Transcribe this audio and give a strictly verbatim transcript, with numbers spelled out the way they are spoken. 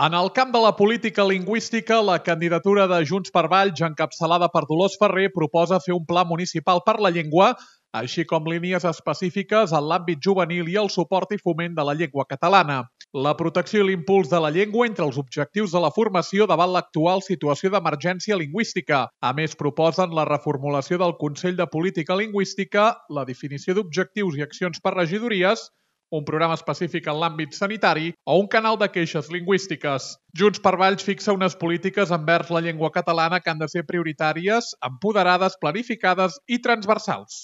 En el camp de la política lingüística, la candidatura de Junts per Valls, encapçalada per Dolors Ferrer, proposa fer un pla municipal per la llengua, així com línies específiques en l'àmbit juvenil i el suport i foment de la llengua catalana. La protecció i l'impuls de la llengua entre els objectius de la formació davant l'actual situació d'emergència lingüística. A més, proposen la reformulació del Consell de Política Lingüística, la definició d'objectius i accions per regidories, un programa específic en l'àmbit sanitari o un canal de queixes lingüístiques. Junts per Valls fixa unes polítiques envers la llengua catalana que han de ser prioritàries, empoderades, planificades i transversals.